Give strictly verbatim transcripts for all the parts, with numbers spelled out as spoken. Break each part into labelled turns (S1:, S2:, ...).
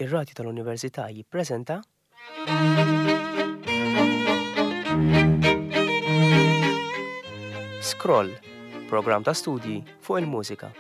S1: Ir-Radju tal-Università jippreżenta Scroll, programm ta' studji fuq il-mużika.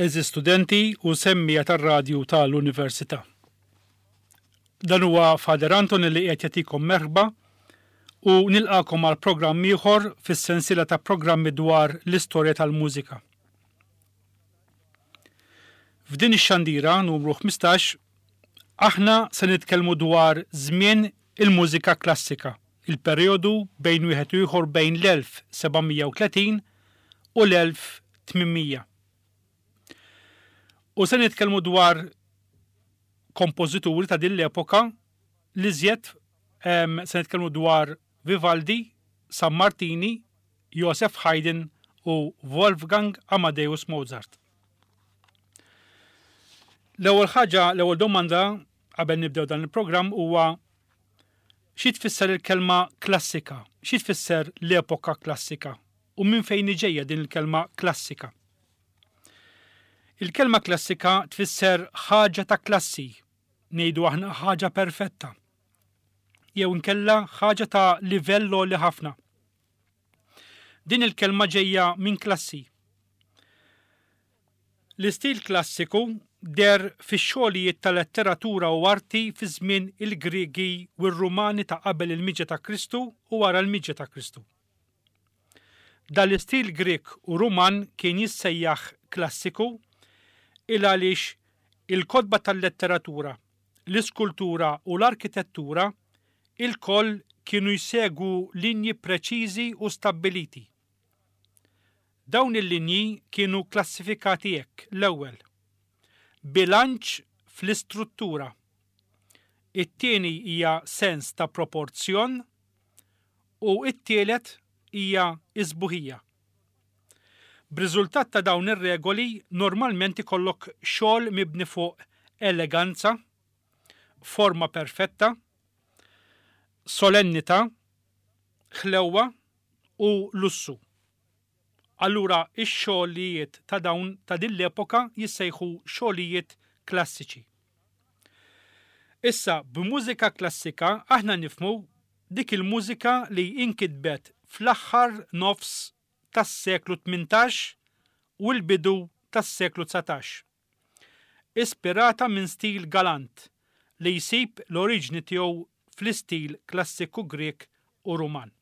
S2: Eżi studenti u semmija tar-radju tal-Università. Dan huwa Father Anton li qed jagħtikom merħba u nilqakom għal programm ieħor fis-sensiela ta' programmi dwar l-istorja tal-mużika. F'din ix-xandira numru ħmistax aħna se nitkellmu dwar żmien il-mużika klassika, il-perjodu bejn wieħed u ieħor bejn l-elf sebgħamija u tletin u l-elf tmienmija. U se nitkellmu dwar kompożituri ta' din l-epoka li żjed, em, se nitkellmu dwar Vivaldi, Sammartini, Joseph Haydn u Wolfgang Amadeus Mozart. L-ewwel ħaġa, l-ewwel domanda qabel nibdew dan il-programm huwa xi tfisser il-kelma klassika, xi tfisser l-epoka klassika u minn fejn ġejja din il-kelma klassika. Il-kelma klassika tfisser ħaġa ta' klassi, ngħidu aħna ħaġa perfetta, jew inkella ħaġa ta' livell għoli ħafna. Din il-kelma ġejja minn klassi. L-istil klassiku der fix-xogħlijiet ta' letteratura u arti fi żmien il-Griegi u r-Rumani ta' qabel il-miġja ta' Kristu u wara l-miġja ta' Kristu. Dan l-istil Grieg u Ruman kien jissejjaħ klassiku il għaliex il-kotba tal-letteratura, l-iskultura u l-arkitettura il-koll kienu jsegwu linji preċiżi u stabbiliti. Dawn il-linji kienu klassifikati hekk: l-ewwel, bilanċ fl-istruttura, it-tieni hija sens ta' proporzjon u t-tielet hija isbuħija. B'riżultat ta' dawn ir-regoli normalment ikollok xogħol mibni fuq eleganza, forma perfetta, solennità, ħlewwa u lussu. Allura ix-xogħlijiet ta' dawn ta' din l-epoka jissejħu xogħlijiet klassiċi. Issa b'mużika klassika aħna nifhmu dik il-mużika li inkitbet fl-aħħar nofs tas-seklu tmintax u l-bidu tas-seklu dsatax. Ispirata minn stil galant li jsib l-oriġni tiegħu fl-istil klassiku Grek u Ruman.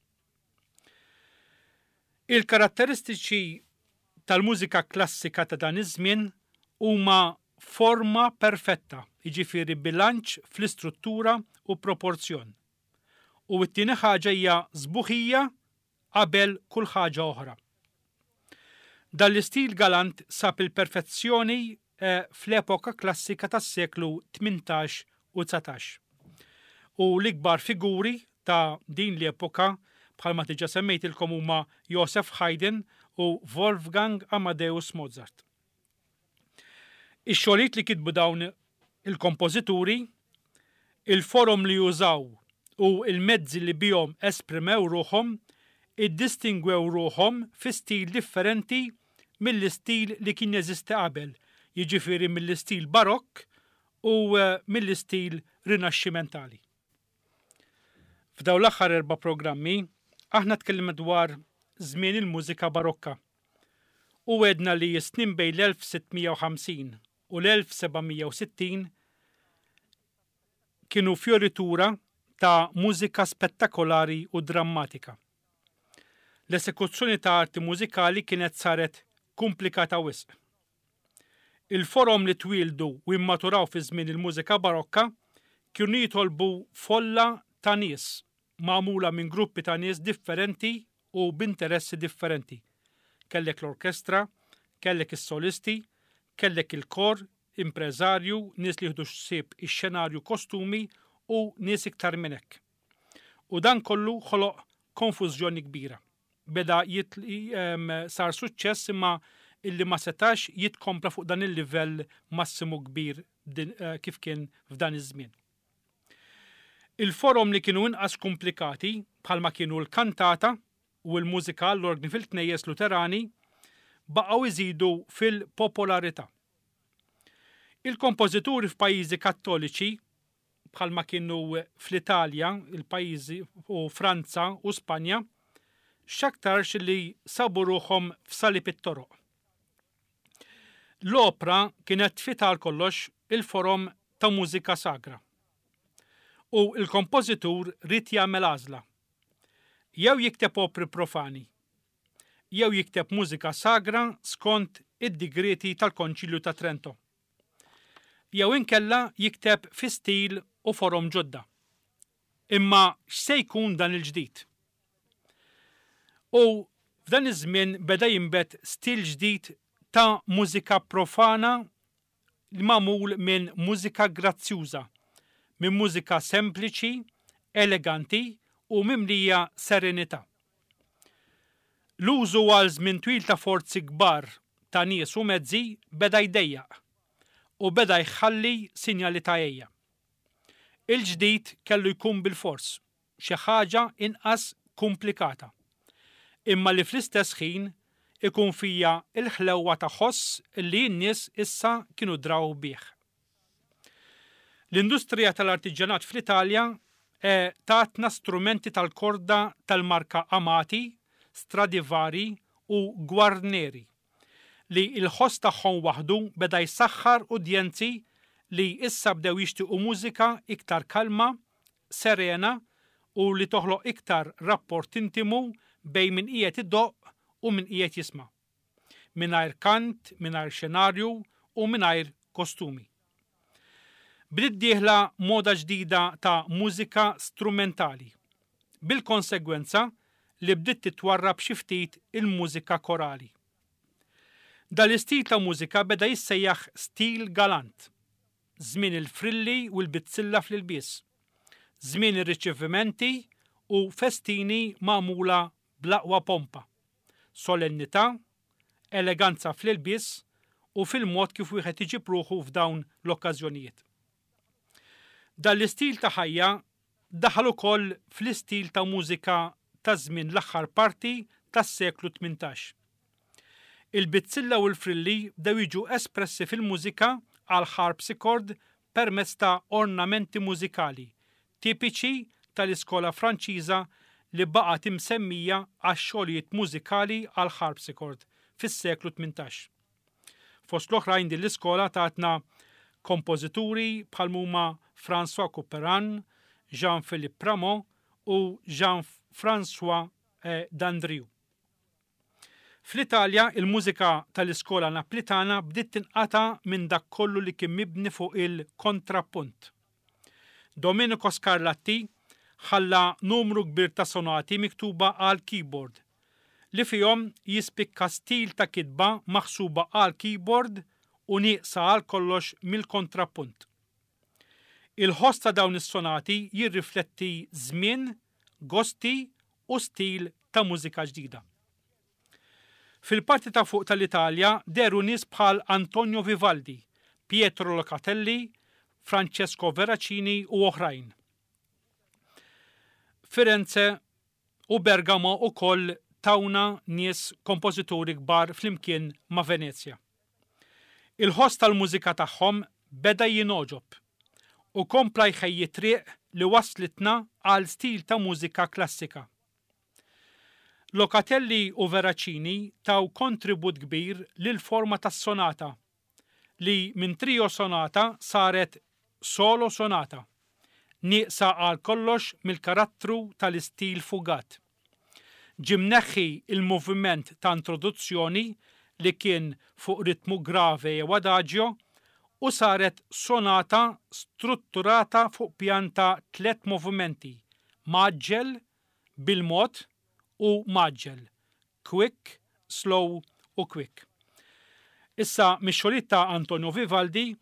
S2: Il-karatteristiċi tal-mużika klassika ta' dan iż-żmien huma forma perfetta, jiġifieri bilanċ fl-istruttura u proporzjon. U t-tieni ħaġa hija sbuħija qabel kull ħaġa oħra. Dan l-istil galant sab il-perfezzjoni, eh, fl-epoka klassika tas-seklu tmintax u dsatax. U l-ikbar figuri ta' din l-epoka bħalma diġà semmejtilkom huma Joseph Haydn u Wolfgang Amadeus Mozart. Ix-xogħlijiet li kitbu dawn il-kompożituri, il-forom li jużaw u il-mezzi li bihom esprimew ruħhom iddistingwew ruħhom fi stil differenti mill-istil li kien jeżisti qabel, jiġifieri mill-istil barokk u, eh, mill-istil rinaxximentali. F'dawn l-aħħar erba' programmi aħna tkellimna dwar żmien il-mużika barokka u għedna li s-snin bejn l-elf sittmija u ħamsin u l-elf sebgħamija u sittin kienu fioritura ta' mużika spettakolari u drammatika. L-esekuzzjoni ta' arti mużikali kienet saret komplikata wisq. Il-forom li twildu u immaturaw fi żmien il-mużika barokka kienu jitolbu folla ta' nies magħmula minn gruppi ta' nies differenti u b'interessi differenti. Kellek l-orkestra, kellek is-solisti, kellek il-kor, impreżarju, nies li jieħdu ħsieb ix-xenarju kostumi u nies iktar minn hekk. U dan kollu ħoloq konfużjoni kbira. Beda sar suċċess imma illi ma setax jitkompla fuq dan il-livell massimu kbir eh, kif kien f'dan iż-żmien. Il-forom li kienu inqas komplikati bħalma kienu l-kantata u l-mużika l-orgni fil-knejjes Luterani baqgħu iżidu fil-popolarità. Il-kompożituri f'pajjiżi Kattoliċi bħalma kienu fl-Italja, il-pajjiżi u Franza u Spanja, x'aktarx li sabu ruħhom f'salib it-toroq. L-opra kienet tfit għal kollox il-forom ta' mużika sagra. U il-kompożitur ried jagħmel għażla. Jew jikteb opri profani, jew jikteb mużika sagra skont id-digreti tal-Konċilju ta' Trento. Jew inkella jikteb fi stil u forom ġodda. Imma x'se jkun dan il-ġdid? U f'dan iż-żmien beda jinbet stil ġdid ta' mużika profana li magħmul minn mużika grazzjuża, minn mużika sempliċi, eleganti u mimlija serenità. L-użu għal żmien twil ta' forzi kbar ta' nies u mezzi beda jdejjaq u beda jħalli sinjali ta' għeja. Il-ġdid kellu jkun bil-fors, xi ħaġa inqas komplikata, imma li fl-istess ħin ikun fija il-ħlewwa ta' ħoss li n-nies issa kienu draw bih. L-industrija tal-artiġjanat fl-Italja eh, tatna strumenti tal-korda tal-marka Amati, Stradivari u Guarneri li il-ħoss tagħhom waħdu beda jsaħħar udjenzi li issa bdew jixtiequ mużika iktar kalma, serena u li toħloq iktar rapport intimu bejn min qiegħed idoqq u min qiegħed jisma'. Mingħajr kant, mingħajr xenarju u mingħajr kostumi. Bdiet dieħla moda ġdida ta' mużika strumentali, bil-konsegwenza li bdiet titwarrab xi ftit il-mużika korali. Dal-istil ta' mużika beda jissejjaħ stil galant, żmien il-frilli u l-bizzilla fl-ilbies, żmien ir-riċevimenti u festini magħmula bl-aqwa pompa, solennità, eleganza fl-ilbies u fil-mod kif wieħed iġib ruħu f'dawn l-okkażjonijiet. Dan l-istil ta' ħajja daħal ukoll fl-istil ta' mużika ta' żmien l-aħħar parti tas-seklu tmintax. Il-bizzilla u l-frilli bdew jiġu espressi fil-mużika għal harpsichord permezz ta' ornamenti mużikali tipiċi tal-iskola Franċiża li baqgħet imsemmija għax-xogħlijiet mużikali għal harpsichord fis-seklu tmintax. Fost l-oħrajn din l-iskola tatna kompożituri bħal huma François Couperin, Jean-Philippe Rameau u Jean-François eh, Dandrieu. Fl-Italja, il-mużika tal-iskola Naplitana bdiet tinqata' minn dak kollu li kien mibni fuq il-kontrappunt. Domenico Scarlatti ħalla numru kbir ta' sonati miktuba għal keyboard, li fihom jispikka stil ta' kitba maħsuba għal keyboard u nieqsa għal kollox mill-kontrappunt. Il-ħoss ta' dawn is-sonati jirrifletti żmien, gosti u stil ta' mużika ġdida. Fil-parti ta' fuq tal-Italja dehru nies bħal Antonio Vivaldi, Pietro Locatelli, Francesco Veracini u oħrajn. Firenze u Bergamo ukoll tawna nies kompożituri kbar flimkien ma' Venezja. Il-ħoss tal-mużika tagħhom beda jingħoġob u kompla jħejji triq li waslitna għal stil ta' mużika klassika. Locatelli u Veracini taw kontribut kbir lil forma tas-sonata li minn trio sonata saret solo sonata, nieqsa għal kollox mill-karattru tal-istil fugat. Ġie mneħħi il-moviment ta' introduzzjoni li kien fuq ritmu grave jew adagio u saret sonata strutturata fuq pjan ta' tliet movimenti, mgħaġġel, bil-mod u mgħaġġel, quick, slow u quick. Issa mix-xogħlijiet ta' Antonio Vivaldi,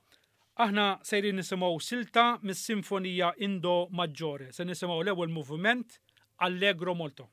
S2: aħna sejrin nisimgħu silta mis-Sinfonija in Do Maggiore. Se nisimgħu l-ewwel moviment, Allegro molto.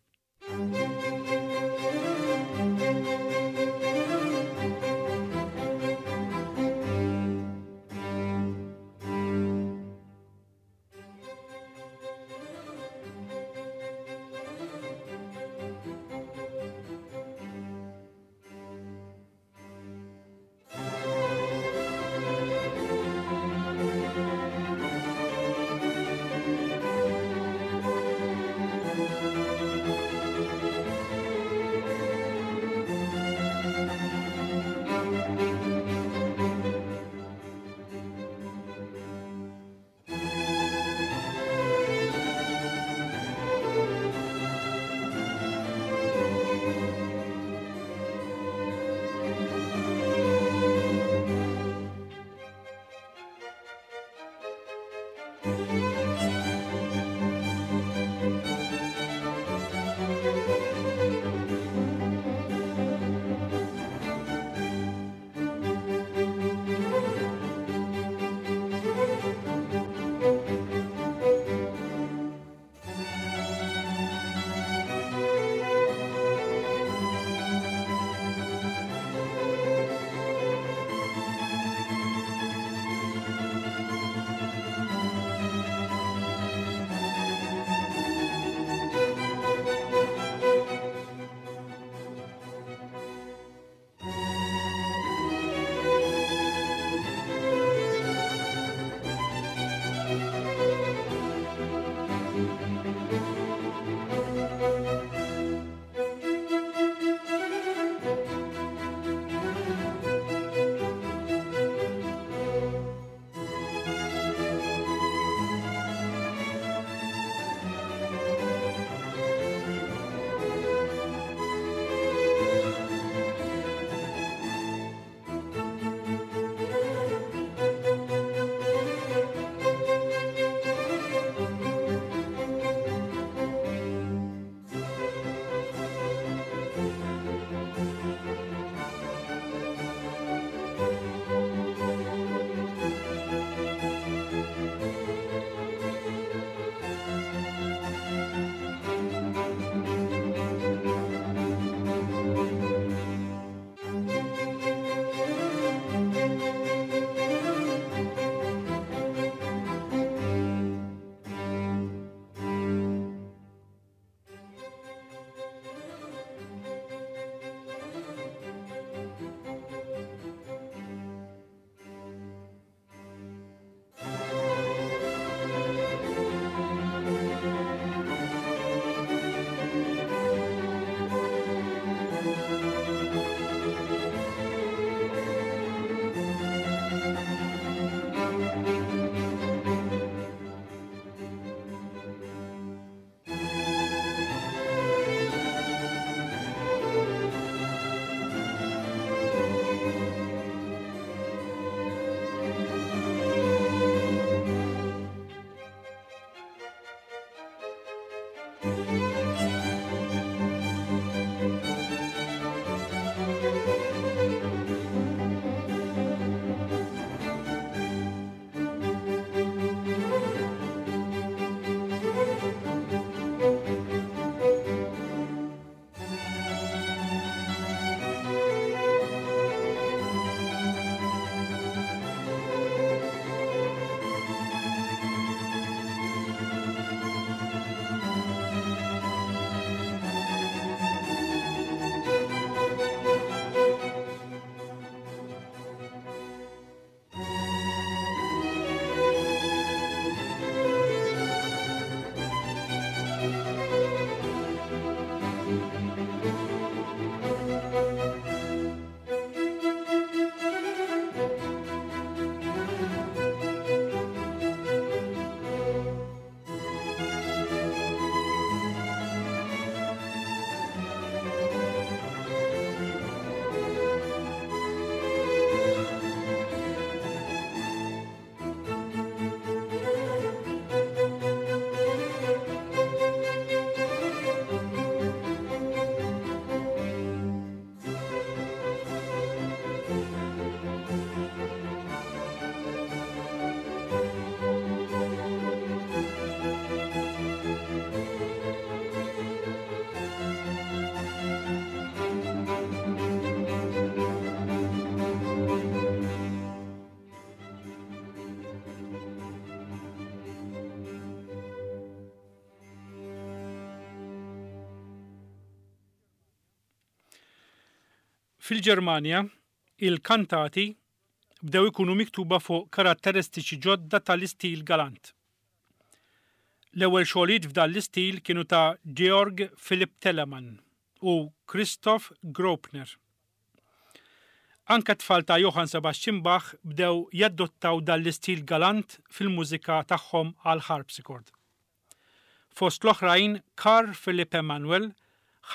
S2: Fil-Ġermanja, il-kantati bdew ikunu miktuba fuq karatteristiċi ġodda tal-istil galant. L-ewwel xogħlijiet f'dan l-istil kienu ta' Georg Philipp Telemann u Christoph Graupner. Anke tfal ta' Johann Sebastian Bach bdew jaddottaw dan l-istil galant fil-mużika tagħhom għal harpsichord. Fost l-oħrajn, Carl Philipp Emanuel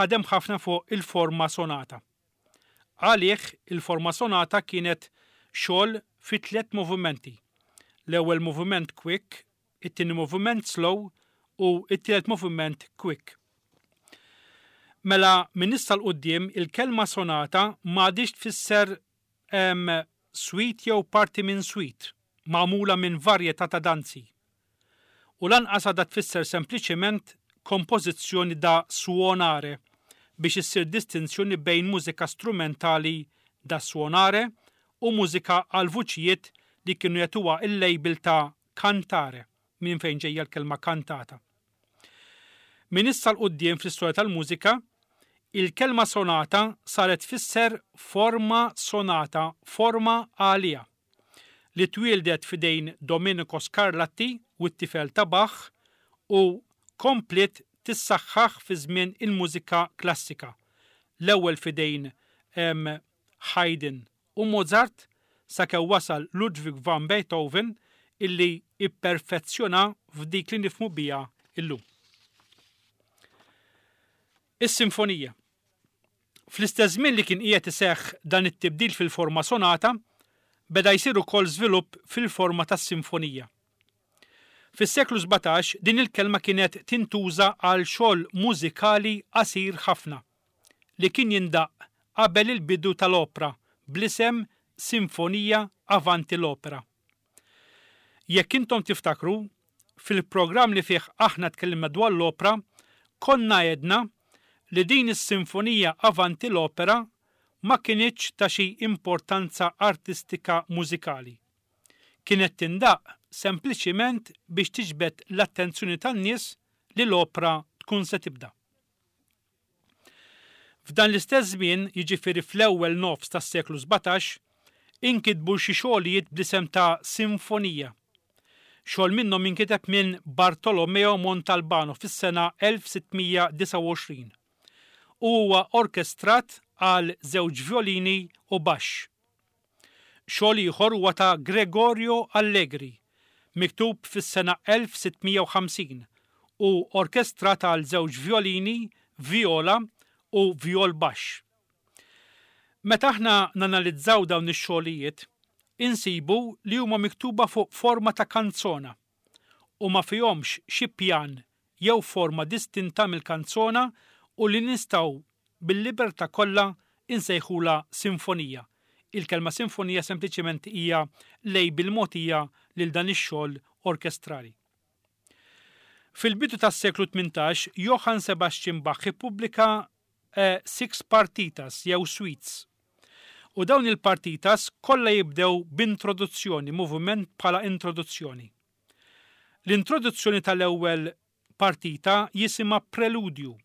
S2: ħadem ħafna fuq il-forma sonata. Għalih il-forma sonata kienet xogħol fi tliet movimenti. L-ewwel moviment quick, it-tieni moviment slow u t-tielet moviment quick. Mela minn issa 'l quddiem il-kelma sonata m'għadix tfisser suite jew parti minn suite, magħmula minn varjetà ta' danzi. U lanqas għadha tfisser sempliċement kompożizzjoni da suonare biex issir distinzjoni bejn mużika strumentali da suonare u mużika għal vuċijiet li kienu jagħtuha il-label ta' cantare, minn fejn ġejja l-kelma kantata. Minn issa 'l quddiem fl-istorja tal-mużika, il-kelma sonata saret tfisser forma sonata, forma għalija, li twieldet f'idejn Domenico Scarlatti u t-tifel ta' Bach u kompliet tissaħħaħ fi żmien il-mużika klassika. L-ewwel f'idejn Haydn u Mozart sakemm wasal Ludwig van Beethoven illi ipperfezzjona f'dik li nifhmu biha illum. Is-sinfonija. Fl-istess żmien li kien qiegħed iseħħ dan it-tibdil fil-forma sonata, beda jsir ukoll żvilupp fil-forma tas-sinfonija. Fis-seklu sbatax din il-kelma kienet tintuża għal xogħol mużikali qasir ħafna li kien jindaq qabel il-bidu tal-opra bl-isem Sinfonija Avanti l-Opera. Jekk intom tiftakru, fil-programm li fih aħna tkellimna dwar l-opra, konna għedna li din is-Sinfonija Avanti l-Opera ma kinitx ta' xi importanza artistika mużikali. Kienet tindaq sempliċiment biex tiġbed l-attenzjoni tan-nies li l-opra tkun se tibda. F'dan l-istess żmien, jiġifieri fl-ewwel nofs tas-seklu sbatax, inkitbu xi xogħlijiet bl-isem ta' sinfonija. Xogħol minnhom inkiteb minn Bartolomeo Montalbano fis-sena elf sittmija disgħa u għoxrin u huwa orkestrat għal żewġ violini u baxx. Xogħol ieħor huwa ta' Gregorio Allegri, miktub fis-sena elf sittmija u ħamsin u orkestrat għal żewġ violini, viola u viol baxx. Meta aħna nanalizzaw dawn ix-xogħlijiet, insibu li huma miktuba fuq forma ta' kanzona u ma fihomx xi pjan jew forma distinta mill-kanzona u li nistgħu bil-libertà kollha insejħula sinfonija. Il-kelma sinfonija sempliċement hija label mogħtija lil dan ix-xogħol orkestrali. Fil-bidu tas-seklu tmintax, Johann Sebastian Bach ippubblika eh, six partitas jew suites. U dawn il-partitas kollha jibdew b'introduzzjoni, moviment bħala introduzzjoni. L-introduzzjoni tal-ewwel partita jisimha preludju.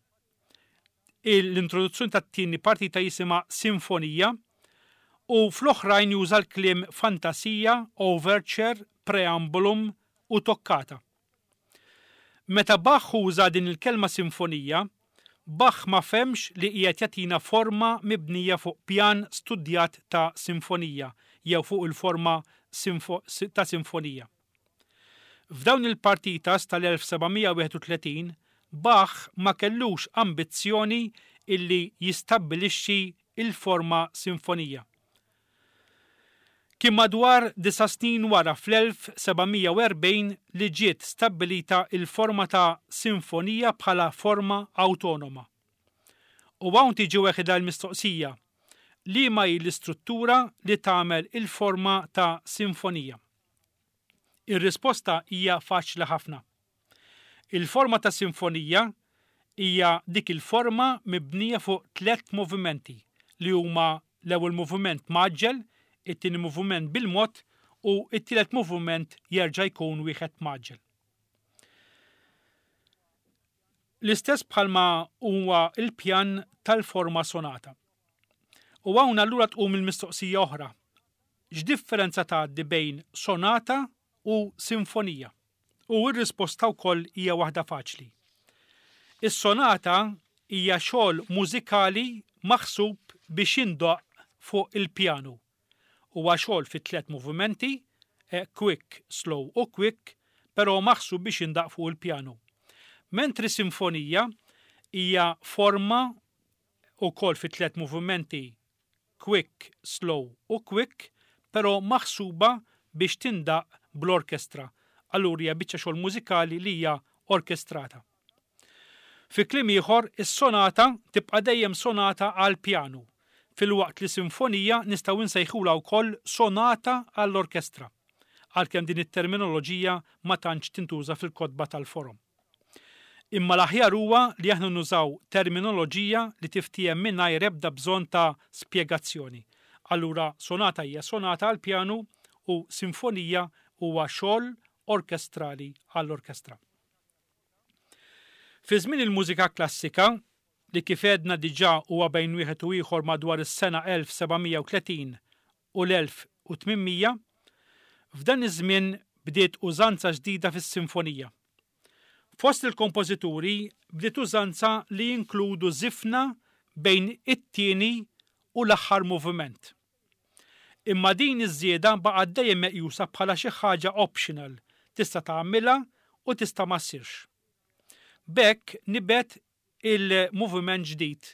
S2: L-introduzzjoni tat-tieni partita jisimha sinfonija u fl-oħrajn juża l-kliem fantasija, overture, preambulum u toccata. Meta Bach uża din il-kelma sinfonija, Bach ma femx li qiegħed jagħtina forma mibnija fuq pjan studjat ta' sinfonija jew fuq il-forma ta' sinfonija. F'dawn il-partitas tal-elf sebgħamija wieħed u tletin, Bach ma kellux ambizzjoni illi jistabbilixxi il-forma sinfonija. Kien madwar disa' snin wara fl-elf sebgħamija u erbgħin li ġiet stabbilita il-forma ta' sinfonija bħala forma awtonoma. U hawn tiġi weħida l-mistoqsija, liema hi l-istruttura li tagħmel il-forma ta' sinfonija? Ir-risposta hija faċli ħafna. Il-forma ta' sinfonija hija dik il-forma mibnija fuq tliet movimenti li huma l-ewwel moviment maġġel, it-tieni moviment bil-mod u t-tielet moviment jerġa' jkun wieħed maġġel. L-istess bħalma huwa il-pjan tal-forma sonata. U hawn allura tqum il-mistoqsija oħra. X'differenza tgħaddi bejn sonata u sinfonija? U r-risposta wkoll hija waħda faċli. Is-sonata hija xogħol mużikali maħsub biex jindoqq fuq il-pjanu. Huwa xogħol fi tliet movimenti, eh, quick, slow u quick, però maħsub biex jindaq fuq il-pjanu. Mentri sinfonija hija forma wkoll fi tliet movimenti, quick, slow u quick, però maħsuba biex tindaq bl-orkestra. Allura hija biċċa xogħol mużikali li hija orkestrata. Fi kliem ieħor, is-sonata tibqa' dejjem sonata għal pjanu, filwaqt li sinfonija nistgħu nsejħulha wkoll sonata għall-orkestra, għalkemm din it-terminoloġija ma tantx tintuża fil-kotba tal-forom. Imma l-aħjar huwa li aħna nużaw terminoloġija li tiftiehem mingħajr ebda bżonn ta' spjegazzjoni. Allura sonata hija sonata għall pjanu u sinfonija huwa xogħol orkestrali għall-orkestra. Fi żmien il-mużika klassika, li kif għedna diġà huwa bejn wieħed u ieħor madwar is-sena elf sebgħamija u tletin u l-elf u tmien mija, f'dan iż-żmien bdiet użanza ġdida fis-sinfonija. Fost il-kompożituri bdiet użanza li jinkludu żifna bejn it-tieni u l-aħħar moviment. Imma din iż-żieda baqgħet dejjem meqjusa bħala xi ħaġa optional, tista' tagħmilha u tista' ma ssirx. B'hekk nibet il-moviment ġdid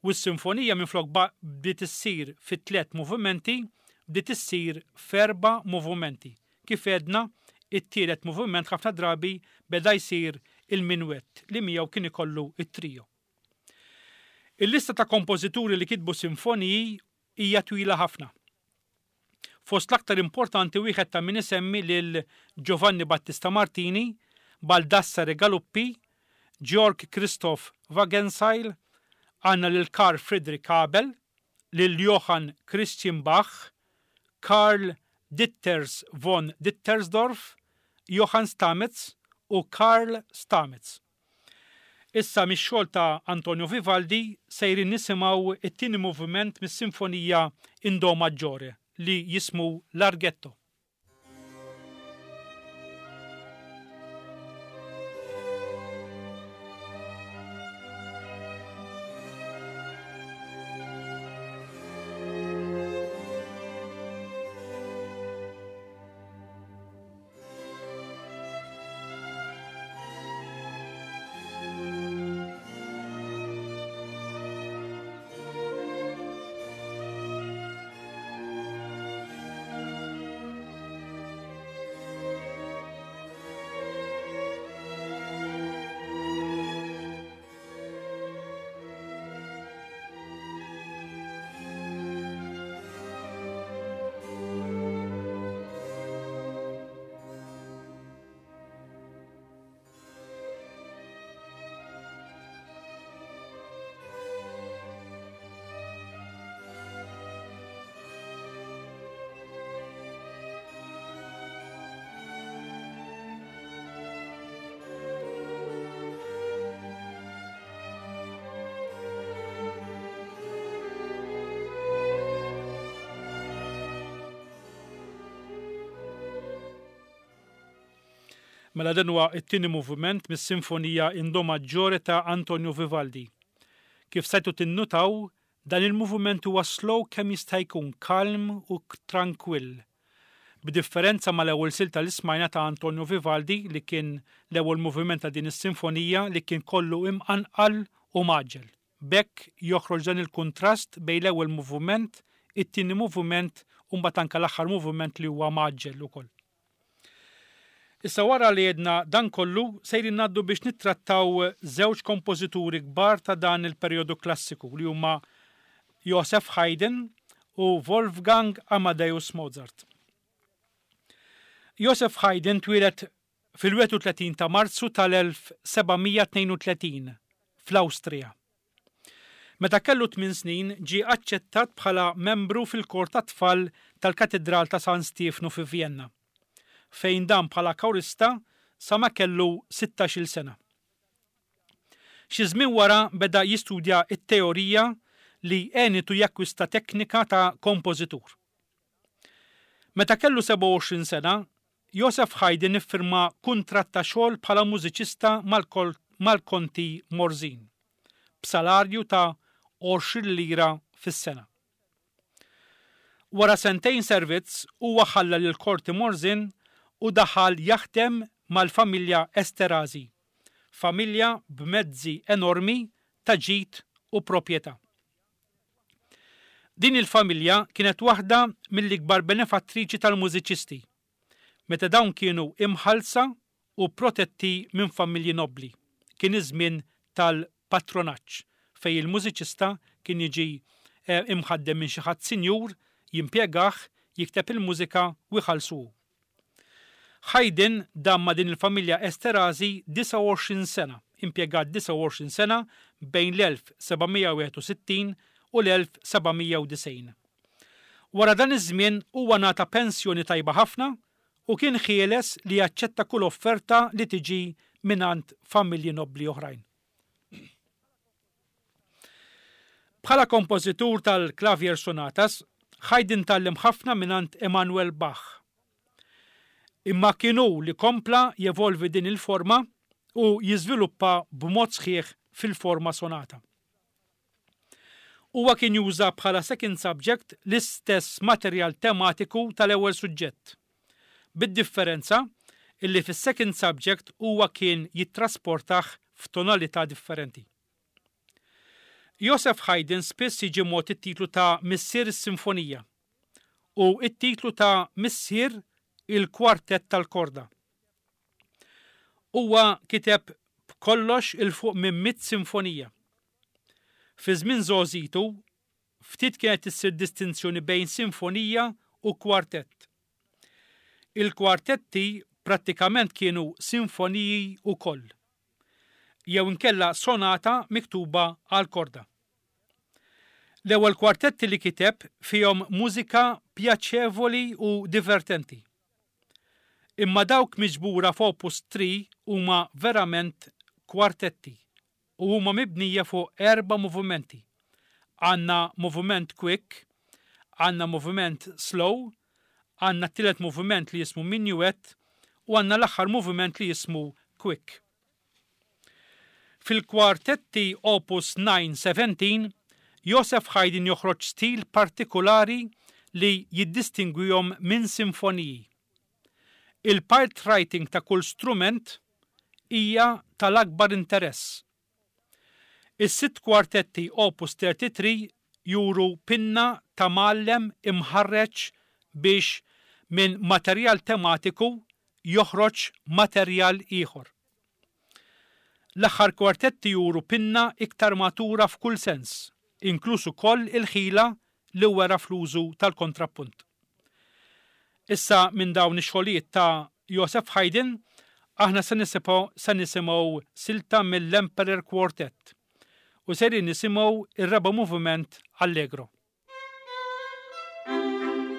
S2: u s-sinfonija minflok ba-, bdiet issir fi tliet movimenti, bdiet issir f'erba' movimenti. Kif għedna, it-tielet moviment ħafna drabi beda jsir il-minwett li miegħu kien ikollu it-trio. Il-lista ta' kompożituri li kitbu sinfoniji hija twila ħafna. Fost l-aktar importanti wieħed ta' min isemmi lil Giovanni Battista Martini, Baldassare Galuppi, Georg Christoph Wagenseil, għandna lil Carl Friedrich Abel, lil Johann Christian Bach, Karl Ditters von Dittersdorf, Johann Stamitz u Karl Stamitz. Issa mix-xogħol ta' Antonio Vivaldi sejrin nisimgħu it-tieni moviment mis-sinfonija in Do Maggiore li jismu Larghetto.
S3: Thank you.
S2: Mela dan huwa t-tieni moviment mis-Sinfonija in Do Maggiore ta' Antonio Vivaldi. Kif stajtu tinnutaw, dan il-moviment huwa slow kemm jista' jkun kalm u trankwill. B'differenza mal-ewwel silta li smajna ta' Antonio Vivaldi li kien l-ewwel moviment ta' din is-sinfonija li kien kollu imqanqal u mgħaġġel. B'hekk joħroġ dan il-kuntrast bejn l-ewwel moviment, it-tieni moviment u mbagħad anke l-aħħar moviment li huwa mgħaġġel ukoll. Issa wara li għedna dan kollu, sejrin ngħaddu biex nittrattaw żewġ kompożituri kbar ta' dan il-perjodu klassiku li huma Joseph Haydn u Wolfgang Amadeus Mozart. Joseph Haydn twieled fil-wieħed u tletin ta' Marzu tal-elf sebgħamija tnejn u tletin fl-Awstrija. Meta kellu tmien snin ġie aċċettat bħala membru fil-kor tat-tfal tal-Katedral ta' San Stiefnu fi Vienna, fejn dan bħala korista sa ma kellu sittax-il sena. Xi żmien wara beda jistudja t-teorija li għenitu jakkwista teknika ta' kompożitur. Meta kellu sebgħa u għoxrin sena, Joseph Haydn iffirma kuntratt ta' xogħol bħala mużiċista mal-kol-, mal-Konti Morzin, b'salarju ta' għoxrin lira fis-sena. Wara sentejn servizz huwa ħalla lil Korti Morzin u daħal jaħdem mal-familja Esterhazy, familja b'mezzi enormi ta' ġid u proprjetà. Din il-familja kienet waħda mill-ikbar benefattriċi tal-mużiċisti, meta dawn kienu imħallsa u protetti minn familji nobli. Kien iż-żmien tal-patronaġġ fej il-mużiċista kien jiġi, eh, imħaddem minn xi ħadd sinjur, jimpjegah, jikteb il-mużika u jħallsu. Haydn dam ma' din il-familja Esterhazy disgħa u għoxrin sena, impjegat disgħa u għoxrin sena bejn l-elf sebgħamija wieħed u sittin u l-elf sebgħamija u disgħin. Wara dan iż-żmien huwa ngħata pensjoni tajba ħafna u kien ħieles li jaċċetta kull offerta li tiġi mingħand familji nobbli oħrajn. Bħala kompożitur tal-Klavier Sonatas, Haydn tgħallem ħafna mingħand Emanuel Bach. Imma kien hu li kompla jevolvi din il-forma u jiżviluppa b'mod sħiħ fil-forma sonata. Huwa kien juża bħala second subject l-istess materjal tematiku tal-ewwel suġġett, bid-differenza illi fis-second subject huwa kien jittrasportah f'tonalità differenti. Joseph Haydn spiss jiġi mogħti t-titlu ta' Missier is-Sinfonija u t-titlu ta' Missier il-Kwartett tal-Korda. Huwa kiteb b'kollox il fuq minn mitt sinfonija. Fi żmien żgħożitu, ftit kienet issir distinzjoni bejn sinfonija u kwartett. Il-kwartetti prattikament kienu sinfoniji wkoll, jew inkella sonata miktuba għal korda. L-ewwel kwartetti li kiteb fihom mużika pjaċevoli u divertenti. Imma dawk miġbura f'Opus three huma verament kwartetti u huma mibnija fuq erba' movimenti. Għandna moviment quick, għandna moviment slow, għandna t-tielet moviment li jismu minuet u għandna l-aħħar moviment li jismu quick. Fil-kwartetti Opus nine seventeen, Joseph Haydn joħroġ stil partikolari li jiddistingwihom minn sinfoniji. Il-part writing ta' kull strument hija tal-akbar interess. Is-sitt kwartetti Opus thirty-three juru pinna ta' mgħallem imħarreġ biex minn materjal tematiku joħroġ materjal ieħor. L-aħħar kwartetti juru pinna iktar matura f'kull sens, inkluż ukoll il-ħila li wera fl-użu tal-kontrappunt. Issa minn dawn ix-xogħlijiet ta' Joseph Haydn, aħna se nisimgħu, se nisimgħu silta mill-Emperor Quartet u sejrin nisimgħu ir-raba' moviment Allegro.
S3: Thank you.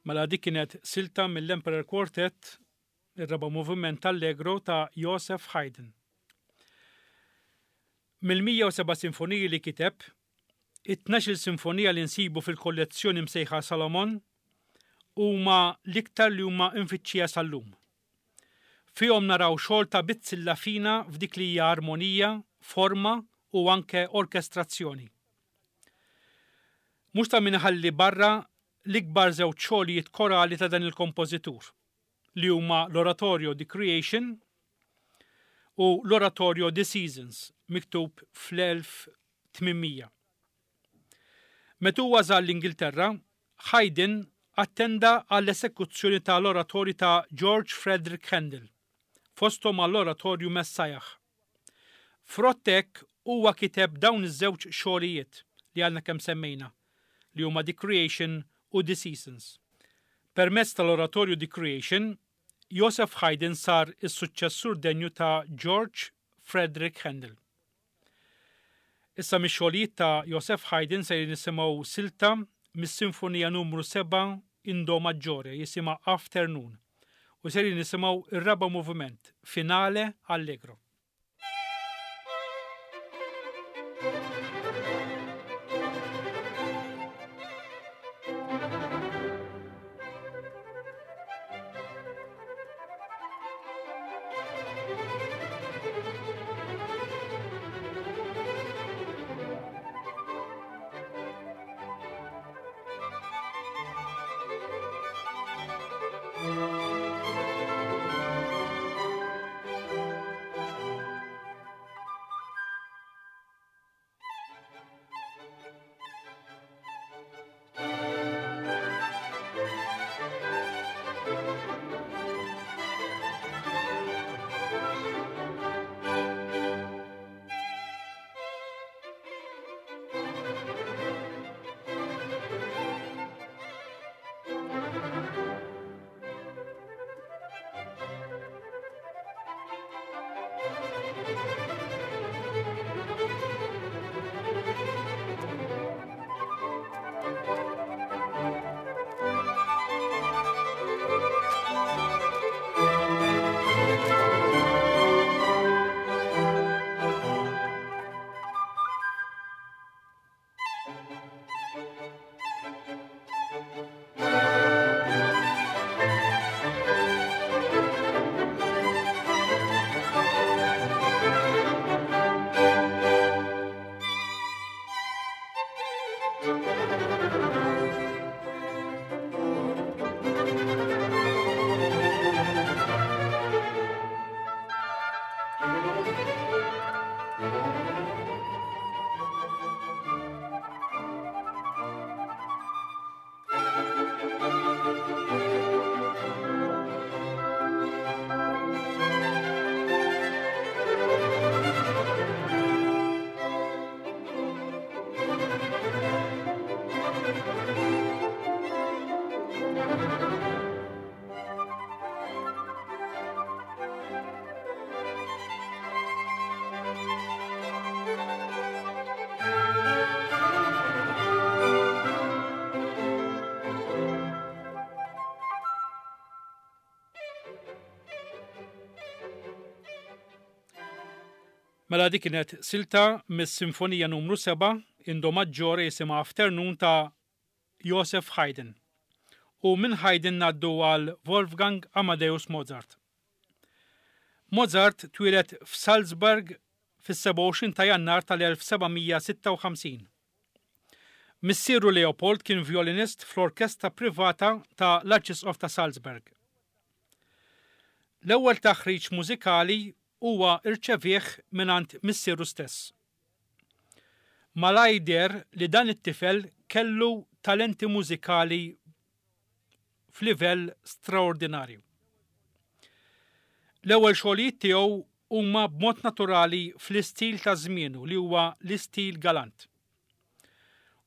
S2: Mela dik kienet silta mill-Emperor Quartet, ir-raba' moviment Allegro ta' Joseph Haydn. Mill-mija u seba' sinfoniji li kiteb, it-tnax-il sinfonija li nsibu fil-kollezzjoni msejħa Salomon huma l-iktar li huma mfittxija sal-lum. Fihom naraw xogħol ta' bizzilla fina f'dik li hija armonija, forma u anke orkestrazzjoni. Mhux ta' min iħalli barra l-ikbar żewġ xogħlijiet korali ta' dan il-kompożitur, li huma l-Oratorio The Creation u l-Oratorio The Seasons, miktub fl-elf tmien mija. Meta huwa żar l-Ingilterra, Haydn attenda għall-esekuzzjoni tal-oratorju ta' George Frederick Handel, fosthom għall-oratorju Messiah. Frott hekk huwa kiteb dawn iż-żewġ xogħlijiet li għandna kemm semmejna, li huma The Creation u The Seasons. Permezz tal-oratorju The Creation, Joseph Haydn sar is-suċċessur denju ta' George Frederick Handel. Issa mix-xogħlijiet ta' Joseph Haydn se nisimgħu silta mis-Sinfonija numru seba' in Do Maggiore jisimha Afternoon u se nisimgħu ir-raba' moviment, Finale Allegro. Mela dik kienet silta mis-Sinfonija numru seba' in Do Maggiore jisimha Afternoon ta' Joseph Haydn. U minn Haydn ngħaddu għal Wolfgang Amadeus Mozart. Mozart twieled f'Salzburg fis-sebgħa u għoxrin ta' Jannar tal-elf seba' mija sitta u ħamsin. Missieru Leopold kien violinist fl-orkestra privata ta' l-Arċisqof ta' Salzburg. L-ewwel taħriġ mużikali huwa irċevih mingħand missieru stess. Malaj deher li dan it-tifel kellu talenti mużikali f'livell straordinarju. L-ewwel xogħlijiet tiegħu huma b'mod naturali fl-istil ta' żmienu li huwa l-istil galant.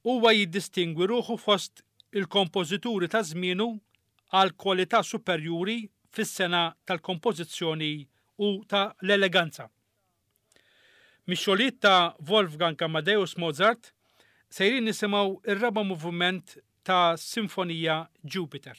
S2: Huwa jiddistingwi ruħu fost il-kompożituri ta' żmienu għal kwalità superjuri fis-sena tal-kompożizzjoni u ta' l-eleganza. Mix-xogħlijiet ta' Wolfgang Amadeus Mozart sejrin nisimgħu ir-raba' moviment ta' Sinfonija Jupiter.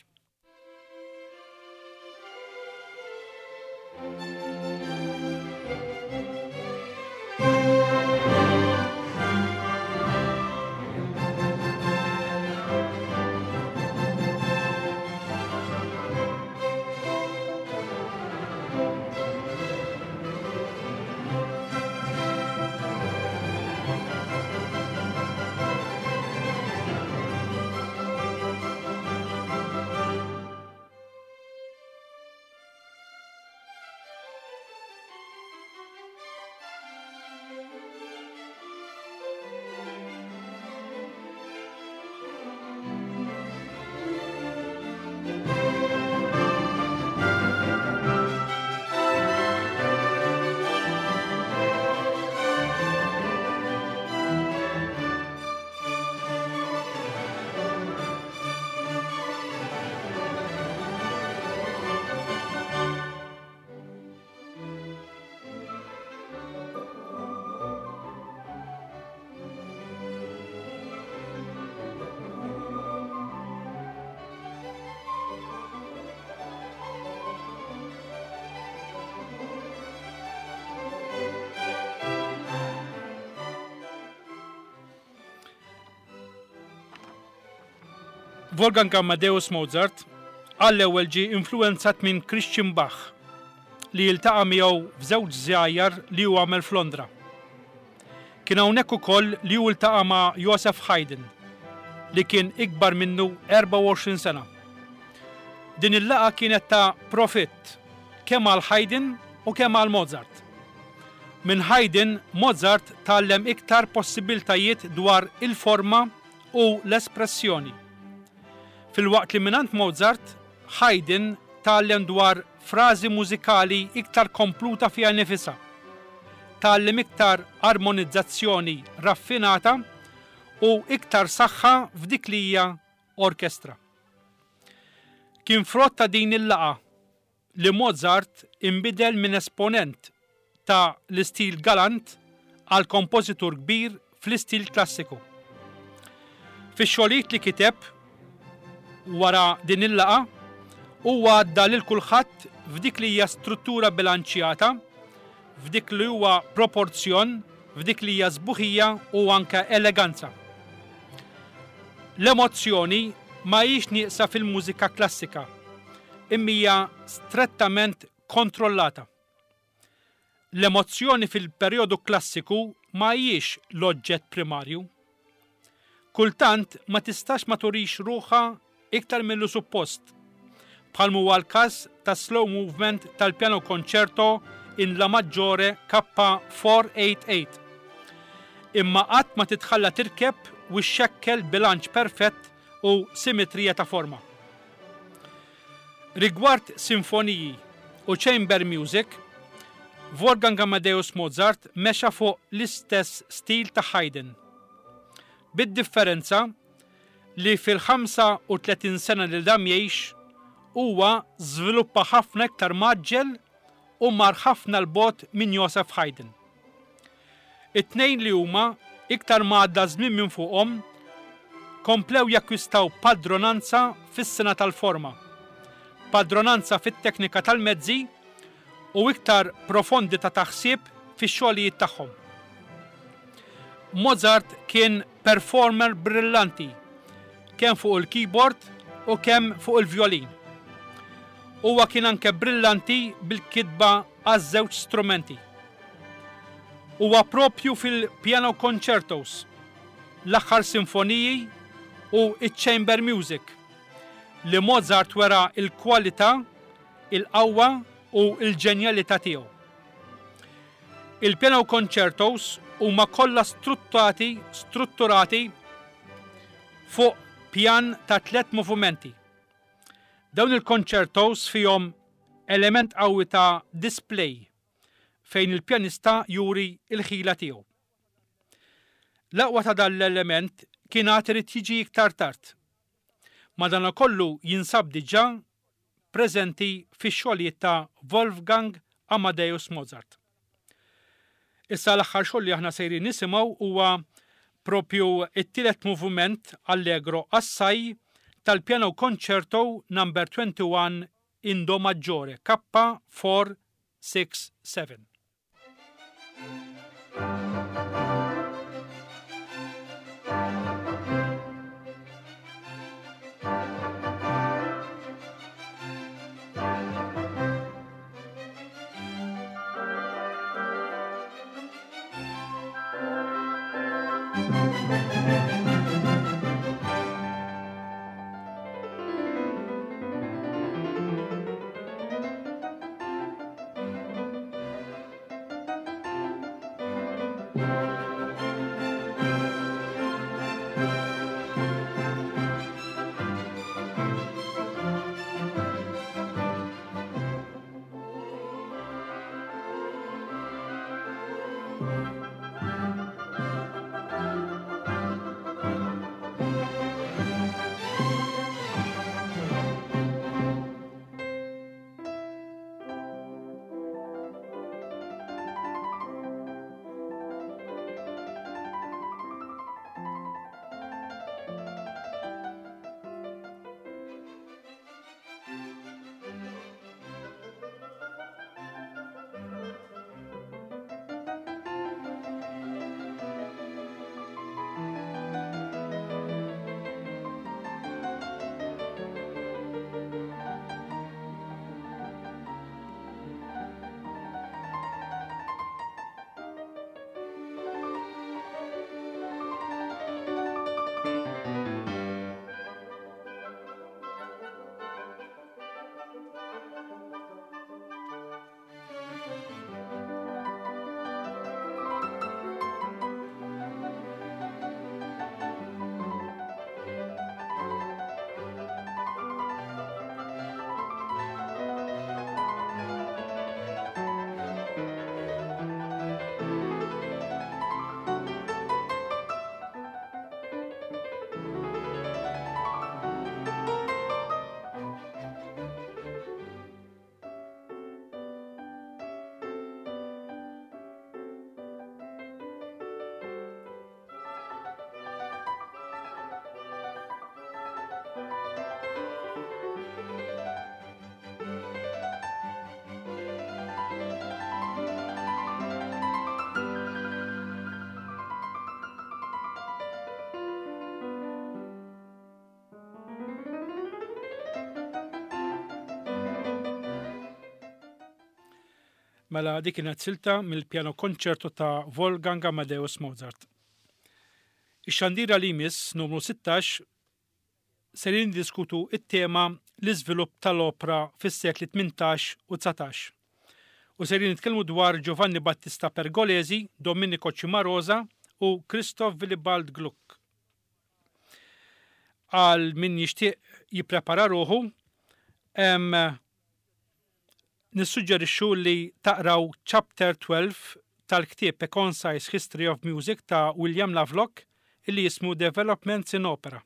S2: Wolfgang Amadeus Mozart għall-ewwel ġie influwenzat minn Christian Bach li jiltaqa' miegħu f'żewġ żjajjar li hu għamel f'Londra. Kien hawnhekk ukoll li hu ltaqa' ma' Joseph Haydn li kien ikbar minnu erbgħa u għoxrin sena. Din il-laqgħa kienet ta' profitt kemm għal Haydn u kemm għal Mozart. Minn Haydn, Mozart tgħallem iktar possibiltajiet dwar il-forma u l-espressjoni. Filwaqt li mingħand Mozart, Haydn tgħallem dwar frażi mużikali iktar kompluta fiha nifisha. Tgħallem iktar armonizzazzjoni raffinata u iktar saħħa f'dik li hija orkestra. Kien frott ta' din il-laqgħa li Mozart inbidel minn esponent ta' l-istil galant għal kompożitur kbir fl-istil klassiku. Fix-xogħlijiet li kiteb wara din il-laqgħa, huwa għadda lil kulħadd f'dik li hija struttura bilanċjata, f'dik li huwa proporzjon, f'dik li hija sbuħija u anke eleganza. L-emozzjoni ma hijiex nieqsa fil-mużika klassika, imma hija strettament kontrollata. L-emozzjoni fil-perjodu klassiku ma hijiex l-oġġett primarju. Kultant ma tistax ma turix ruħha iktar millu suppost, bħal huwa l-każ ta' slow movement tal-piano concerto in La Maggiore K four eight eight. Imma qatt ma titħalla tirkeb u xxekkel bilanċ perfett u simetrija ta' forma. Rigward sinfoniji u chamber music, Wolfgang Amadeus Mozart mexa fuq l-istess stil ta' Haydn. Bid-differenza li fil-ħamsa u tletin sena li dam jgħix huwa żviluppa ħafna iktar maġġel u mar ħafna l-bogħod minn Joseph Haydn. It-tnejn li huma iktar ma għadda żmien minn fuqhom komplew jakkwistaw padronanza fis-sena tal-forma, padronanza fit-teknika tal-mezzi u iktar profondi ta' taħsib fix-xogħlijiet tagħhom. Mozart kien performer brillanti, kemm fuq il-keyboard u kemm fuq il-violin. Huwa kien anke brillanti bil-kitba għaż-żewġ strumenti. Huwa propju fil-piano concertos, l-aħħar sinfoniji u iċ-chamber music li Mozart wera il-kwalità, il-qawwa u l-ġenjalità tiegħu. Il-piano concertos huma kollha strutturati, strutturati fuq pjan ta' tliet movimenti. Dawn il-concertos fihom element qawwi ta' display fejn il-pjanista juri il-ħila tiegħu. L-aqwa ta' dan l-element kien għad irid jiġi iktar tard. Madankollu jinsab diġà preżenti fix-xogħlijiet ta' Wolfgang Amadeus Mozart. Issa l-aħħar xogħol li aħna sejrin nisimgħu huwa propju it-tielet moviment Allegro assai tal-piano concerto number twenty-one in Do maggiore K four six seven. Mela dik kienet silta mill-piano concerto ta' Wolfgang Amadeus Mozart. Ix-xandira li jmiss numru sittax ser niddiskutu it-tema l-iżvilupp tal-opra fis-sekli tmintax u dsatax. U ser nitkellmu dwar Giovanni Battista Pergolesi, Domenico Cimarosa u Christoph Willibald Gluck. Għal min jixtieq jipprepara ruħu, em, nissuġġerixxu li taqraw Chapter twelve tal-ktieb A Concise History of Music ta' William Lovelock illi jismu Developments in Opera.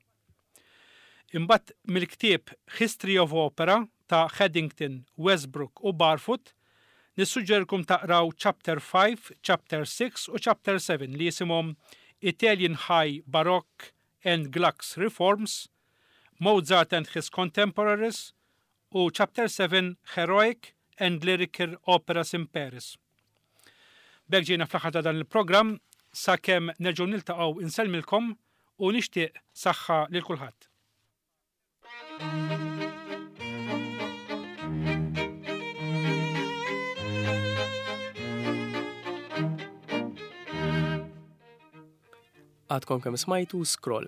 S2: Imbagħad mill-ktieb History of Opera ta' Haddington, Westbrook u Barfoot nissuġġerkom taqraw Chapter five, Chapter six u Chapter seven li jisimhom Italian High Baroque and Gluck's Reforms, Mozart and His Contemporaries u Chapter seven Heroic and Lyrical Operas in Paris. B'hekk ġejna fl-aħħar ta' dan il-programm, sakemm nerġgħu niltaqgħu insellmilkom u nixtieq saħħa lil kulħadd.
S1: Għadkom kemm smajtu Scroll,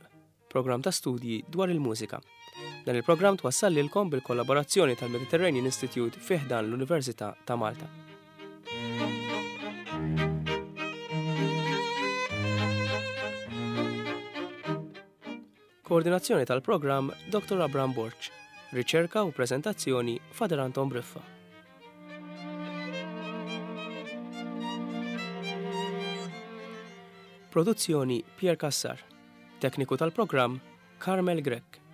S1: programm ta' studji dwar il-mużika. Dan il-programm twassal lilkom bil-kollaborazzjoni tal-Mediterranean Institute fi ħdan l-Università ta' Malta. Koordinazzjoni tal-programm Doktor Abraham Borg. Riċerka u prezentazzjoni Father Anton Briffa. Produzzjoni Pier Cassar. Tekniku tal-programm Carmel Grech.